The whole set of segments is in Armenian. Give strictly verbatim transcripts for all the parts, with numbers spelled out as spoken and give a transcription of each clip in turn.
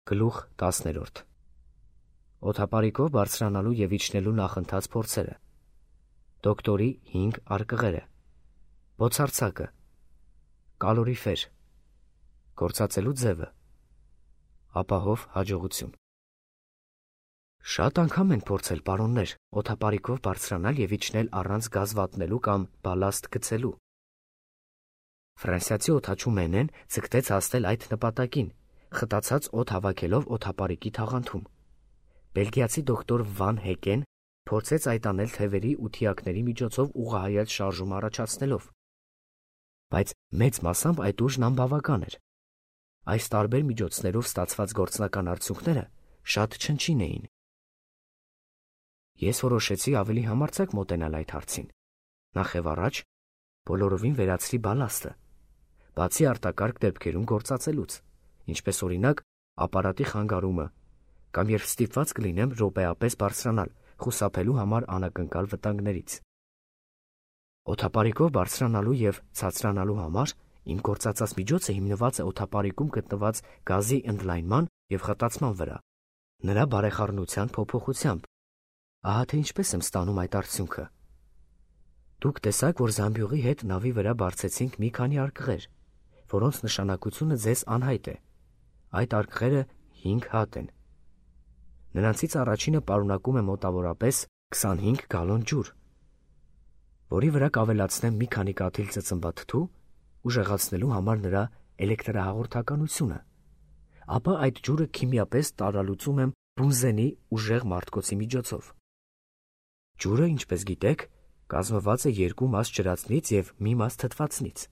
Գլուխ տասներորդ Օդապարիկով բարձրանալու և իջնելու նախընթաց փորձերը, դոկտորի հինգ արկղերը, բոցարձակը, կալորիֆեր, գործածելու ձևը, ապահով հաջողություն։ Շատ անգամ են փորձել, պարոններ, օդապարիկով բարձրանալ և իջնել առանց գազ վատնելու կամ բալաստ գցելու։ Ֆրանսիացի օդաչու Մենեն ձգտեց հասնել այդ նպատակին, խտացած օդ հավաքելով օդապարիկի թաղանթում։ Բելգիացի դոկտոր Վան Հեկեն փորձեց այդ անել թևերի ու թիակների միջոցով ուղղահայաց շարժում առաջացնելով։ Բայց մեծ մասամբ այդ ուժն անբավական էր։ Այս տարբեր միջոցներով ստացված գործնական արդյունքները շատ չնչին էին։ Ես որոշեցի ավելի համարձակ մոտենալ այդ հարցին։ Նախ եւ առաջ բոլորովին վերացրի բալաստը, բացի արտակարգ դեպքերում գործածելուց, ինչպես օրինակ ապարատի խանգարումը, կամ երբ ստիպված կլինեմ րոպեապես բարձրանալ, խուսափելու համար անակնկալ վտանգներից։ Օդապարիկով բարձրանալու և ցածրանալու համար իմ գործածած միջոցը հիմնված է օդապարիկում գտնված գազի ընդլայնման և խտացման վրա, նրա բարեխառնության փոփոխությամբ։ Ահա թե ինչպես եմ ստանում այդ արդյունքը։ Դուք տեսաք, որ զամբյուղի հետ նավի վրա բարձեցինք մի քանի արկղեր, որոնց նշանակությունը ձեզ անհայտ է։ Այդ արկղերը հինգ հատ են։ Նրանցից առաջինը պարունակում է մոտավորապես քսանհինգ գալոն ջուր, որի վրա կավելացնեմ մի քանի կաթիլ ծծմբաթթու, ուժեղացնելու համար նրա էլեկտրահաղորդականությունը, ապա այդ ջուրը քիմիապես տարալուծում եմ բունզենի ուժեղ մարտկոցի միջոցով։ Ջուրը, ինչպես գիտեք, կազմված է երկու մաս ջրածնից և մի մաս թթվածնից։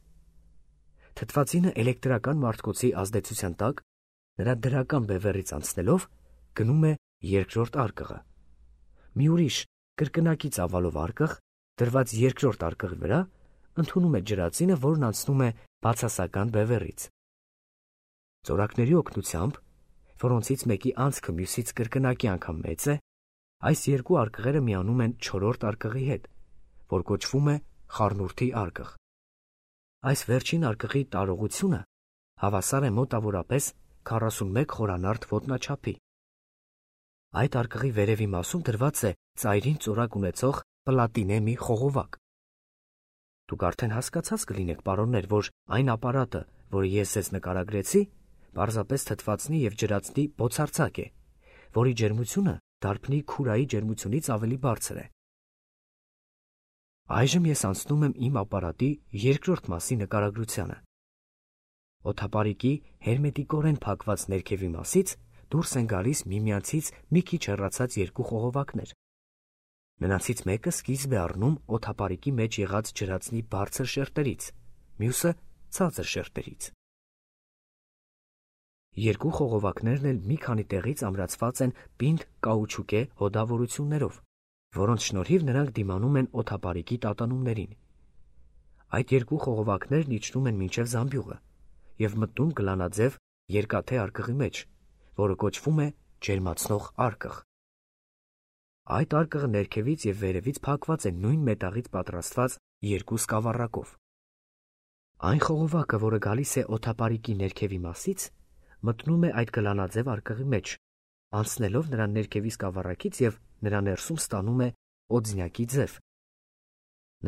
Թթվածինը էլեկտրական մարտկոցի ազդեցության տակ, նրա դրական բևեռից անցնելով, գնում է երկրորդ արկղը։ Մի ուրիշ կրկնակի ծավալով արկղ, դրված երկրորդ արկղի վրա, ընդունում է ջրածինը, որն անցնում է բացասական բևեռից։ Ծորակների օգնությամբ, որոնցից մեկի անցքը մյուսից կրկնակի անգամ մեծ է, այս երկու արկղերը միանում են չորրորդ արկղի հետ, որ կոչվում է խառնուրդի արկղ։ Այս վերջին արկղի տարողությունը հավասար է մոտավորապես քառասունմեկ խորանարդ ոտնաչափի։ Այդ արկղի վերևի մասում դրված է ծայրին ծորակ ունեցող պլատինե մի խողովակ։ Դուք արդեն հասկացած կլինեք, պարոններ, որ այն ապարատը, որը ես ձեզ նկարագրեցի, պարզապես թթվածնի և ջրածնի բոցարձակ է, որի ջերմությունը դարբնի քուրայի ջերմությունից ավելի բարձր է։ Այժմ ես անցնում եմ իմ ապարատի երկրորդ մասի նկարագրությանը։ Օդապարիկի հերմետիկորեն փակված ներքևի մասից դուրս են գալիս միմյանցից մի քիչ հեռացած երկու խողովակներ։ Նրանցից մեկը սկիզբ է առնում օդապարիկի մեջ եղած ջրածնի բարձր շերտերից, մյուսը ցածր շերտերից։ Երկու խողովակներն էլ մի քանի տեղից ամրացված են պինդ կաուչուկե հոդավորություններով, որոնց շնորհիվ նրանք դիմանում են օդապարիկի տատանումներին։ Այդ երկու խողովակներն իջնում են մինչև զամբյուղը և մտնում գլանաձև երկաթե արկղի մեջ, որը կոչվում է ջերմացնող արկղ։ Այդ արկղը ներքևից և վերևից փակված է նույն մետաղից պատրաստված երկու սկավառակով։ Այն խողովակը, որը գալիս է օդապարիկի ներքևի մասից, մտնում է այդ գլանաձև արկղի մեջ, անցնելով նրա ներքևի սկավառակից և նրա ներսում ստանում է օձնյակի ձև։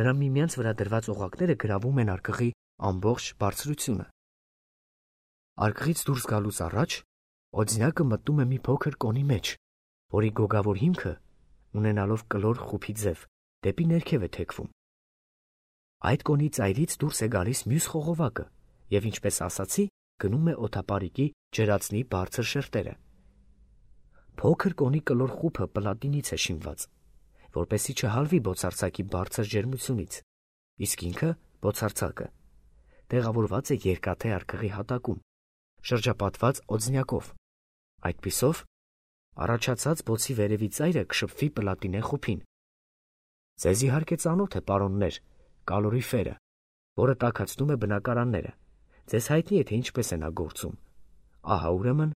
Նրա միմյանց վրա դրված օղակները գրավում են արկղի ամբողջ բարձրությունը։ Արկղից դուրս գալուց առաջ օձնյակը մտնում է մի փոքր կոնի մեջ, որի գոգավոր հիմքը, ունենալով կլոր խուփի ձև, դեպի ներքև է թեքվում։ Այդ կոնի ծայրից դուրս է գալիս մյուս խողովակը և, ինչպես ասացի, գնում է օդապարիկի ջրածնի բարձր շերտերը։ Փոքր կոնի կլոր խուփը պլատինից է շինված, որպեսզի չհալվի բոցարձակի բարձր ջերմությունից, իսկ ինքը, բոցարձակը, տեղավորված է երկաթե արկղի հատակում, շրջապատված օձնյակով։ Այդպիսով առաջացած բոցի վերևի ծայրը կշփվի պլատինե խուփին։ Ձեզ իհարկե ծանոթ է, պարոններ, կալորիֆերը, որը տաքացնում է բնակարանները։ Ձեզ հայտնի է, թե ինչպես է նա գործում։ Ահա ուրեմն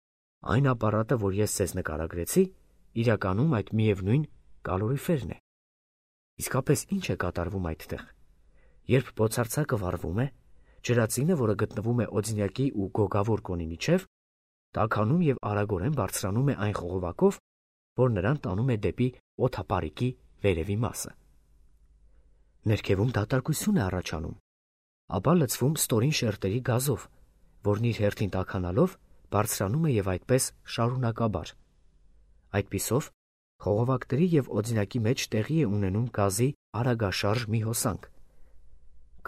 այն ապարատը, որ ես ձեզ նկարագրեցի, իրականում այդ միևնույն կալորիֆերն է։ Իսկապես ինչ է կատարվում այդտեղ։ Երբ բոցարձակը վառվում է, ջրածինը, որը գտնվում է օձնյակի ու գոգավոր կոնի միջև, տաքանում եւ արագորեն բարձրանում է այն խողովակով, որ նրան տանում է դեպի օդապարիկի վերևի մասը։ Ներքևում դատարկություն է առաջանում, ապա լցվում ստորին շերտերի գազով, որն իր հերթին տաքանալով բարձրանում է եւ այդպես շարունակաբար։ Այդպիսով խողովակների եւ օձինակի մեջ տեղի է ունենում գազի արագաշարժ մի հոսանք։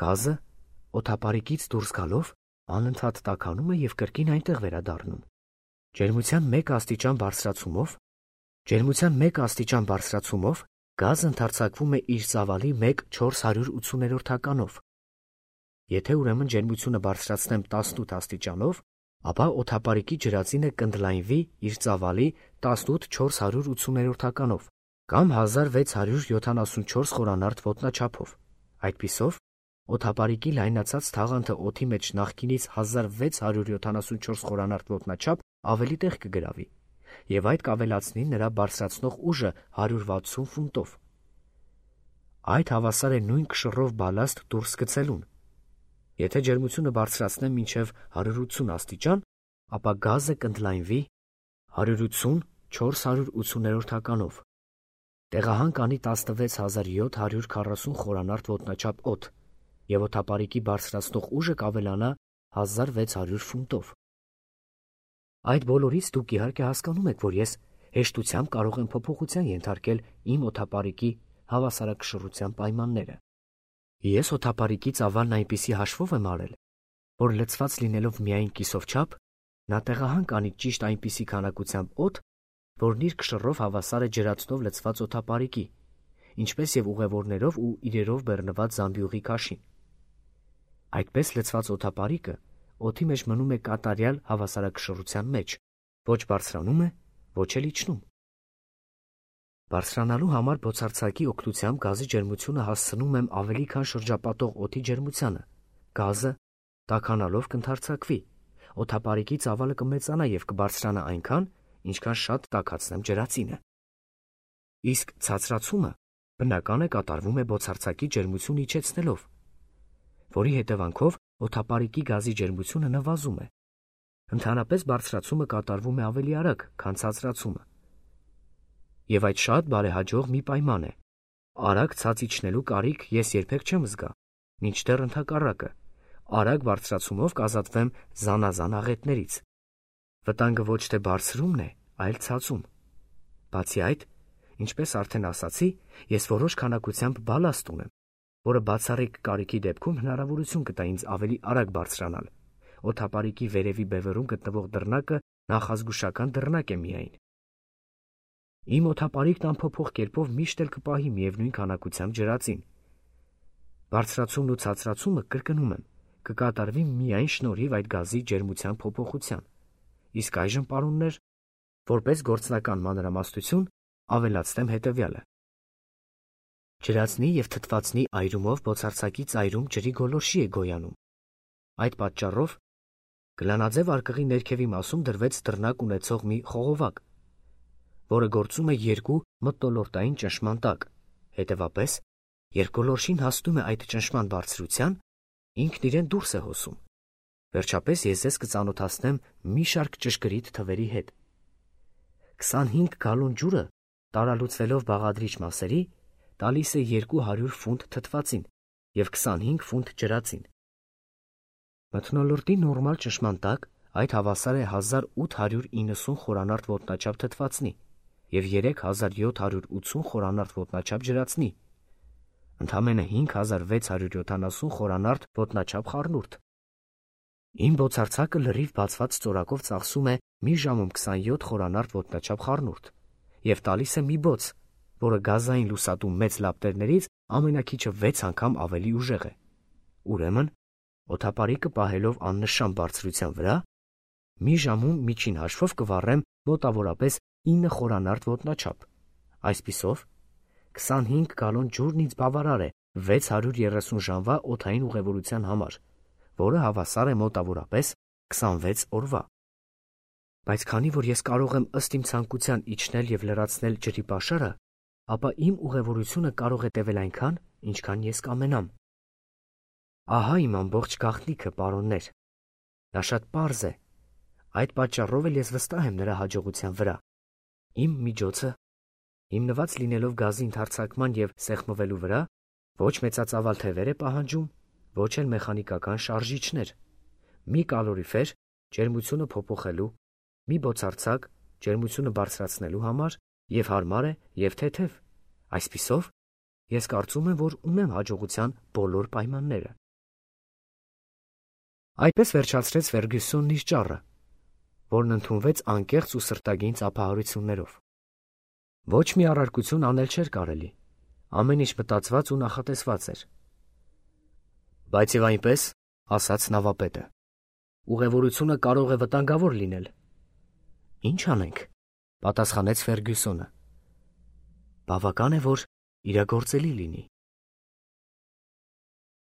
Գազը օդապարիկից դուրս գալով անընդհատ տաքանում է եւ կրկին այնտեղ վերադառնում։ Ջերմության մեկ աստիճան բարձրացումով ջերմության մեկ աստիճան բարձրացումով գազը ընդարձակվում է իր ծավալի մեկ չորս հարյուր ութսուներորդականով։ Եթե ուրեմն ջերմությունը բարձրացնեմ տասնութ աստիճանով, ապա օդապարիկի ջրածինը կընդլայնվի իր ծավալի տասնութ չորս հարյուր ութսուներորդականով կամ հազար վեց հարյուր յոթանասունչորս խորանարդ ոտնաչափով։ Այդպիսով օդապարիկի լայնացած թաղանթը օդի մեջ նախկինից հազար վեց հարյուր յոթանասունչորս խորանարդ ոտնաչափ ավելի տեղ կգրավի, եւ այդ կավելացնի նրա բարձրացնող ուժը հարյուր վաթսուն ֆունտով։ Այդ հավասար է նույն կշռով բալաստ դուրս գցելուն։ Եթե ջերմությունը բարձրացնեմ մինչև հարյուր ութսուն աստիճան, ապա գազը կընդլայնվի հարյուր ութսուն չորս հարյուր ութսուներորդականով։ Տեղահանք անի տասնվեց հազար յոթ հարյուր քառասուն խորանարդ ոտնաչափ օդ, եւ օդապարիկի բարձրացնող ուժը կավելանա հազար վեց հարյուր ֆունտով։ Այդ բոլորից դուք իհարկե հասկանում եք, որ ես հեշտությամբ կարող եմ փոփոխության ենթարկել իմ օդապարիկի հավասարակշռության պայմանները։ Ես օդապարիկի ծավալն այնպիսի հաշվով եմ արել, որ լցված լինելով միայն կիսով չափ, նա տեղահանք անի ճիշտ այնպիսի քանակությամբ օդ, որն իր կշռով հավասար է ջրածնով լցված օդապարիկի, ինչպես եւ ուղևորներով ու իրերով բեռնված զամբյուղի քաշին։ Այդպես լցված օդապարիկը օդի մեջ մնում է կատարյալ հավասարակշռության մեջ, ոչ բարձրանում է, ոչ էլ իջնում։ Բարձրանալու համար բոցարձակի օգնությամբ գազի ջերմությունը հասցնում եմ ավելի քան շրջապատող օդի ջերմությանը։ Գազը տաքանալով կընդարձակվի, օդապարիկի ծավալը կմեծանա եւ կբարձրանա այնքան, ինչքան շատ տաքացնեմ ջրածինը։ Իսկ ցածրացումը բնական է կատարվում է բոցարձակի ջերմություն իջեցնելով, որի հետևանքով օդապարիկի գազի ջերմությունը նվազում է։ Ընդհանրապես բարձրացումը կատարվում է ավելի արագ, քան ցածրացումը։ Եվ այդ շատ բարեհաջող մի պայման է։ Արագ ցած իջնելու կարիք ես երբեք չեմ զգա, մինչդեռ ընդհակառակը, արագ բարձրացումով կազատվեմ զանազան աղետներից։ Վտանգը ոչ թե բարձրումն է, այլ ցածում։ Բացի այդ, ինչպես արդեն ասացի, ես որոշ քանակությամբ բալաստ ունեմ, որը բացառիկ կարիքի դեպքում հնարավորություն կտա ինձ ավելի արագ բարձրանալ։ Օդապարիկի վերևի բևեռում գտնվող դռնակը նախազգուշական դռնակ է միայն։ Իմ օդապարիկն անփոփոխ կերպով միշտ էլ կպահի միևնույն քանակությամբ ջրածին։ Բարձրացումն ու ցածրացումը, կրկնում եմ, կկատարվի միայն շնորհիվ այդ գազի ջերմության փոփոխության։ Իսկ այժմ, պարոններ, որպես գործնական մանրամասնություն, ավելացնեմ հետևյալը։ Ջրածնի եւ թթվածնի այրումով բոցարձակի ծայրում ջրի գոլորշի է գոյանում։ Այդ պատճառով գլանաձև արկղի ներքևի մասում դրվեց դռնակ ունեցող մի խողովակ, որը գործում է երկու մթնոլորտային ճնշման տակ։ Հետևապես, երբ գոլորշին հասնում է այդ ճնշման բարձրության, ինքն իրեն դուրս է հոսում։ Վերջապես ես ձեզ կծանոթացնեմ մի շարք ճշգրիտ թվերի հետ։ քսանհինգ գալոն ջուրը տարալուծվելով բաղադրիչ մասերի տալիս է երկու հարյուր ֆունտ թթվածին եւ քսանհինգ ֆունտ ջրածին։ Մթնոլորտի նորմալ ճնշման տակ այդ հավասար է հազար ութ հարյուր իննսուն խորանարդ ոտնաչափ թթվածնի եւ երեք հազար յոթ հարյուր ութսուն խորանարդ ոտնաչափ ջրածնի, ընդամենը հինգ հազար վեց հարյուր յոթանասուն խորանարդ ոտնաչափ խառնուրդ։ Իմ բոցարձակը լրիվ բացված ծորակով ծախսում է մի ժամում քսանյոթ խորանարդ ոտնաչափ խառնուրդ եւ տալիս է մի բոց, որը գազային լուսատու մեծ լապտերներից ամենակիչը վեց անգամ ավելի ուժեղ է։ Ուրեմն, օդապարիկը պահելով աննշան բարձրության վրա, մի ժամում միջին հաշվով կվառեմ մոտավորապես ինը խորանարդ ոտնաչափ։ Այսպիսով, քսանհինգ գալոն ջուրն ինձ բավարար է վեց հարյուր երեսուն ժամվա օդային ուղևորության համար, որը հավասար է մոտավորապես քսանվեց օրվա։ Բայց քանի որ ես կարող եմ ըստ իմ ցանկության իջնել եւ լրացնել ջրի պաշարը, ապա իմ ուղևորությունը կարող է տևել այնքան, ինչքան ես կամենամ։ Ահա իմ ամբողջ գաղտնիքը, պարոններ։ Դա շատ պարզ է։ Այդ պատճառով էլ ես վստահ եմ նրա հաջողության վրա։ Իմ միջոցը, հիմնված լինելով գազի ընդարձակման և սեղմվելու վրա, ոչ մեծածավալ թևեր է պահանջում, ոչ էլ մեխանիկական շարժիչներ, մի կալորիֆեր ջերմությունը փոփոխելու, մի բոցարձակ ջերմությունը բարձրացնելու համար և հարմար է և թեթև։ Այսպիսով, ես կարծում եմ, որ ունեմ հաջողության բոլոր պայմանները։ Այդպես վերջացրեց Ֆերգյուսոնն իր ճառը, որն ընդունվեց անկեղծ ու սրտագին ծափահարություններով։ Ոչ մի առարկություն անել չէր կարելի, ամեն ինչ մտածված ու նախատեսված էր։ Բայց և այնպես, ասաց նավապետը, ուղևորությունը կարող է վտանգավոր լինել։ Ինչ անենք, պատասխանեց Ֆերգյուսոնը։ Բավական է, որ իրագործելի լինի։